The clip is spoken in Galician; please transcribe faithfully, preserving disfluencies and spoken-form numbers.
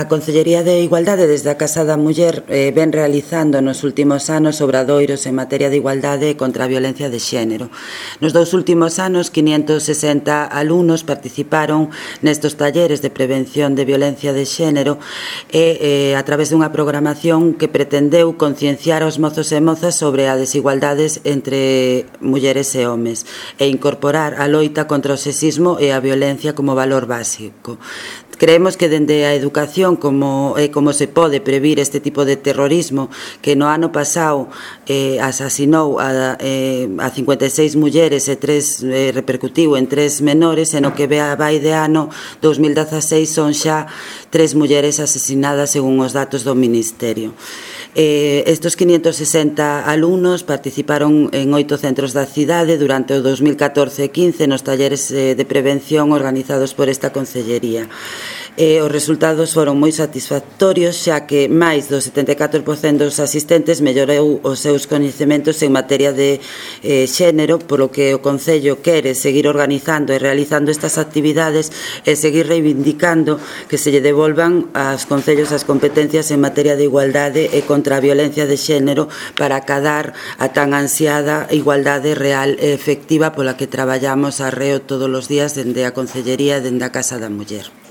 A Consellería de Igualdade desde a Casa da Muller eh, ven realizando nos últimos anos obradoiros en materia de igualdade e contra a violencia de xénero. Nos dous últimos anos, quinientos sesenta alumnos participaron nestos talleres de prevención de violencia de xénero e eh, a través dunha programación que pretendeu concienciar aos mozos e mozas sobre as desigualdades entre mulleres e homes e incorporar a loita contra o sexismo e a violencia como valor básico. Creemos que dende a educación como, eh, como se pode previr este tipo de terrorismo que no ano pasado eh, asasinou a, eh, a cincuenta e seis mulleres e tres eh, repercutiu en tres menores e no que vai de ano dos mil dezaseis son xa tres mulleres asesinadas según os datos do Ministerio. Eh, estos quinientos sesenta alumnos participaron en oito centros da cidade durante o dos mil catorce e quince nos talleres eh, de prevención organizados por esta Consellería. Eh, os resultados foron moi satisfactorios, xa que máis do setenta e catro por cento dos asistentes mellorou os seus coñecementos en materia de eh, xénero, polo que o Concello quere seguir organizando e realizando estas actividades e seguir reivindicando que se lle devolvan aos concellos as competencias en materia de igualdade e contra a violencia de xénero para acadar a tan ansiada igualdade real e efectiva pola que traballamos arreo todos os días dende a Consellería e dende a Casa da Muller.